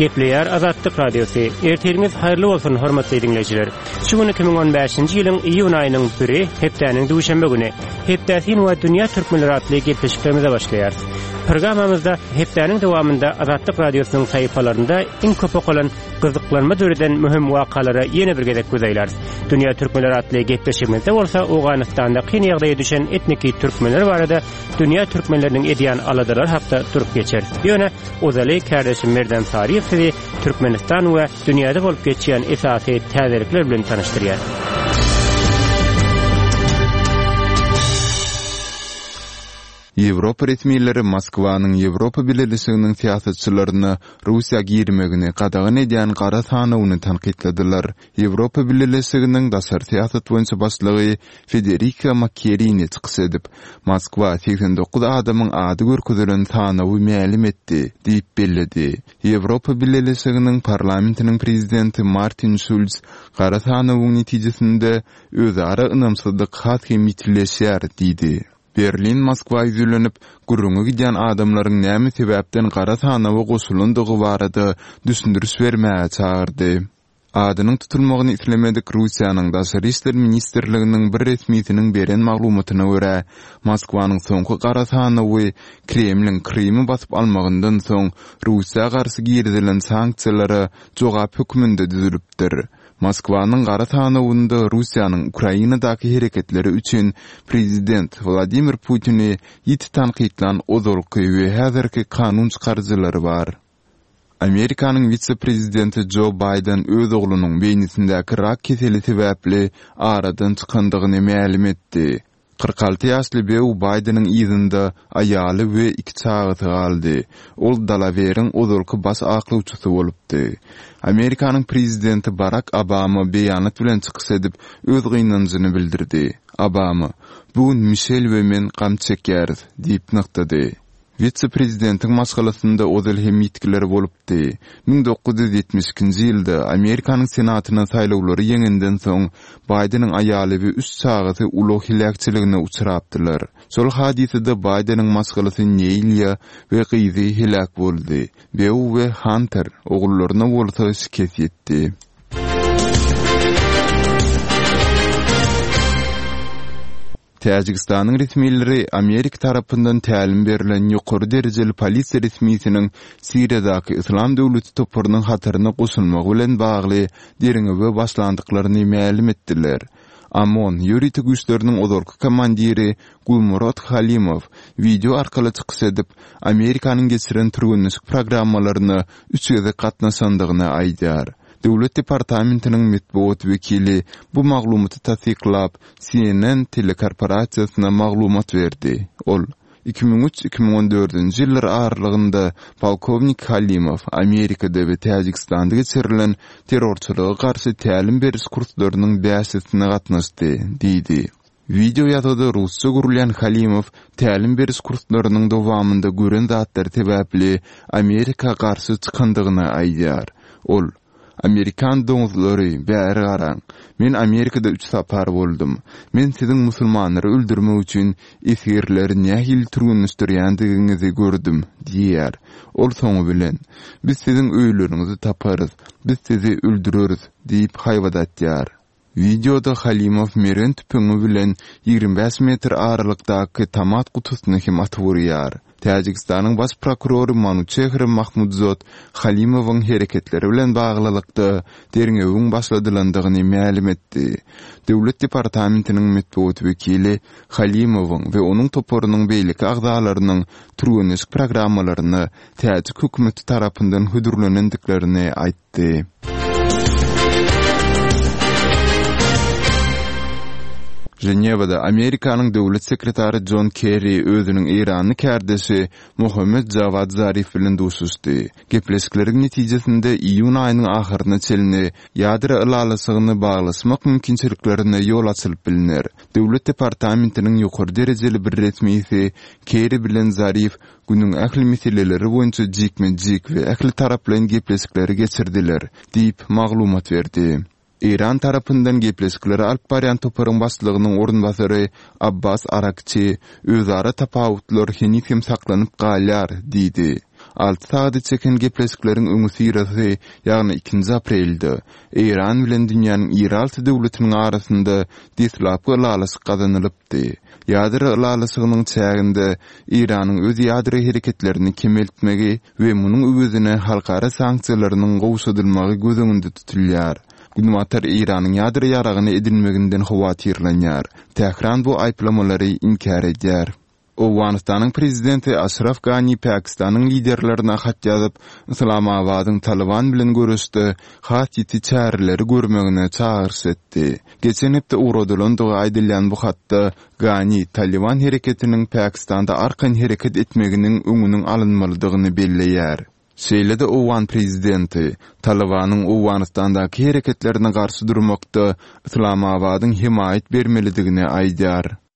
Gepleýär Azatlyk Radiosy. Ertiriňiz haýyrly bolsun, hormatly diňleýjiler. Şu gün 2015-nji ýylyň iýun aýynyň biri, hepdäniň duşenbe güni. Hepdäsin we dünýä türkmenleri atly gepleşiklerimize başlaýarys. Programmamyzda hepdäniň dowamynda Azatlyk Radiosynyň sahypalarynda iň köp okalan, gyzyklanma döreden möhüm wakalara ýene bir gezek göz aýlarys. Dünýä türkmenleri atly gepleşigimizde bolsa Owganystanda kyn ýagdaýa düşen etniki türkmenler barada dünýä türkmenleriniň edýän aladalary hakda durup geçeris. Ýöne ozaly kärdeşim Merdan Saryýew sizi Türkmenistan we dünýäde bolup geçýän esasy täzelikler bilen tanyşdyrýar. Ýewropa resmileri Moskwanyň Ýewropa Bileleşiginiň syýasatçylaryna Russiýa girmegini gadagan edýän gara sanawyny tankytladylar. Ýewropa Bileleşiginiň daşary syýasat boýunça başlygy Federika Mogherini çykyş edip, Moskwa 89 adamyň ady görkezilen sanawy mälim etdi diýip belledi. Ýewropa Bileleşiginiň Parlamentiniň prezidenti Martin Şulz gara sanawyň netijesinde özara ynamsyzlyk has hem ýitileşýär diýdi. Berlin Moskwa ýüzlenip, gürrüňi gidýän adamlaryň näme sebäpden gara sanawa goşulandygy barada düşündiriş bermäge çagyrdy. Adynyň tutulmagyny islemedik Russiýanyň Daşary işler ministrliginiň bir resmisiniň beren maglumatyna görä, Moskwanyň soňky gara sanawy Kremliň Krymy basyp almagyndan soň Russiýa garşy girizilen sanksiýalara jogap hökmünde düzülipdir. Moskwanyň gara sanawynda Russiýanyň Ukrainadaky hereketleri üçin prezident Wladimir Putini ýiti tankytlan ozalky we häzirki kanun çykaryjylary bar. Amerikanyň wise-prezidenti Jo Baýden öz oglunyň beýnisindäki rak keseli sebäpli aradan çykandygyny mälim etdi. 46 ýaşly Beau Baýdeniň yzynda aýaly we iki çagasy galdy. Ol Dalaweriň ozalky baş aklawçysy bolupdy. Amerikanyň prezidenti Barak Obama beýanat bilen çykyş edip, öz gynanjyny bildirdi. Obama, Bu gün Mişel we men gam çekýäris diýip nygtady. Wise-prezidentiň maşgalasynda ozal hem ýitgiler bolupdy. 1972-nji ýylda Amerikanyň Senatyna saýlawlary ýeňenden soň, Baýdeniň aýaly we üç çagasy ulag heläkçiligine uçrapdylar. Şol hadysada Baýdeniň maşgalasy Neýliýa we gyzy heläk boldy. Beau we Hanter ogullaryna bolsa şikes ýetdi. Täjigistanyň resmileri Amerika tarapyndan tälim berlen ýokary derejeli polisiýa resmisiniň Siriýadaky Yslam döwleti toparynyň hataryna goşulmagy bilen bagly derňewe başlandyklaryny mälim etdiler. OMON ýörite güýçleriniň ozalky komandiri Gulmurod Halimow wideo arkaly çykyş edip, Amerikanyň geçiren türgenleşik programmalaryna üç gezek gatnaşandygyny aýdýar. Döwlet departamentiniň metbugat wekili bu maglumaty tassyklap, CNN telekorporasiýasyna maglumat berdi. Ol, 2003, 2014-nji ýyllar aralygynda polkownik Halimow Amerikada we Täjigistanda geçirilen terrorçylyga garşy tälim beriş kurslarynyň bäşisine gatnaşdy diýdi. Wideo ýazgyda rusça gürleýän Halimow tälim beriş kurslarynyň dowamynda gören zatlary sebäpli Amerika garşy çykandygyny aýdýar. Ol, Amerikan doňuzlary, bäri garaň. Men Amerikada üç sapar boldum. Men siziň musulmanlary öldürmek üçin esgerleri nähili türgenleşdirýändigiňizi gördüm diýýär. Ol soňy bilen, Biz siziň öýleriňizi taparys, biz sizi öldüreris diýip haýbat atýar. Wideoda Halimow mergen tüpeňi bilen 25 metr aralykdaky tomat gutusyna hem atyp urýar. Täjigistanyň baş prokurory Manuçehr Mahmudzod Halimowyň hereketleri bilen baglylykda derňewiň başladylandygyny mälim etdi. Döwlet departamentiniň metbugat wekili Halimowyň we onuň toparynyň beýleki agzalarynyň türgenleşik programmalaryna täjik hökümeti tarapyndan hödürlenendiklerini aýtdy. Aýtdy. Ženewada Amerikanyň Döwlet sekretary Jon Kerri özüniň eýranly kärdeşi Mohammed Jawad Zarif bilen duşuşdy. Gepleşikleriň netijesinde iýun aýynyň ahyryna çenli ýadro ylalaşygyny baglaşmak mümkinçiliklerine ýol açylyp bilner. Döwlet departamentiniň ýokary derejeli bir resmisi Kerri bilen Zarif Günüň ähli meseleleri boýunça jikme-jik we ähli taraplaýyn gepleşikleri geçirdiler, diýip, maglumat berdi. Eýran tarapyndan gepleşikleri alyp barýan toparyň başlygynyň orunbasary Abbas Arakçi, Özara tapawutlar heniz hem saklanyp galýar, diýdi. Alty sagada çeken gepleşikleriň öňüsyrasy, ýagny ikinji aprelde, Eýran bilen dünýäniň iri alty döwletiniň arasynda deslapky ylalaşyk gazanylypdy. Ýadro ylalaşygynyň çäginde Eýranyň öz ýadro hereketlerini kemeltmegi we munuň öwezine halkara sanksiýalarynyň gowşadylmagy göz öňünde tutulýar. Günbatar Eýranyň ýadro ýaragyny edinmeginden howatyrlanýar. Tähran bu aýyplamalary inkär edýär. Owganystanyň prezidenti Aşraf Gani Pakistanyň liderlerine hat ýazyp, Yslamabadyň Talyban bilen göreşde has ýiti çäreleri görmegine çagyryş etdi. Geçen hepde ugradylandygy aýdylýan bu hatda Gani Talyban hereketiniň Pakistanda arkaýyn hereket etmeginiň öňüniň alynmalydygyny belleýär. Şeýle-de owgan prezidenti Talybanyň Owganystandaky hereketlerine garşy durmakda Yslamabadyň hemaýat bermelidigini aýdýar.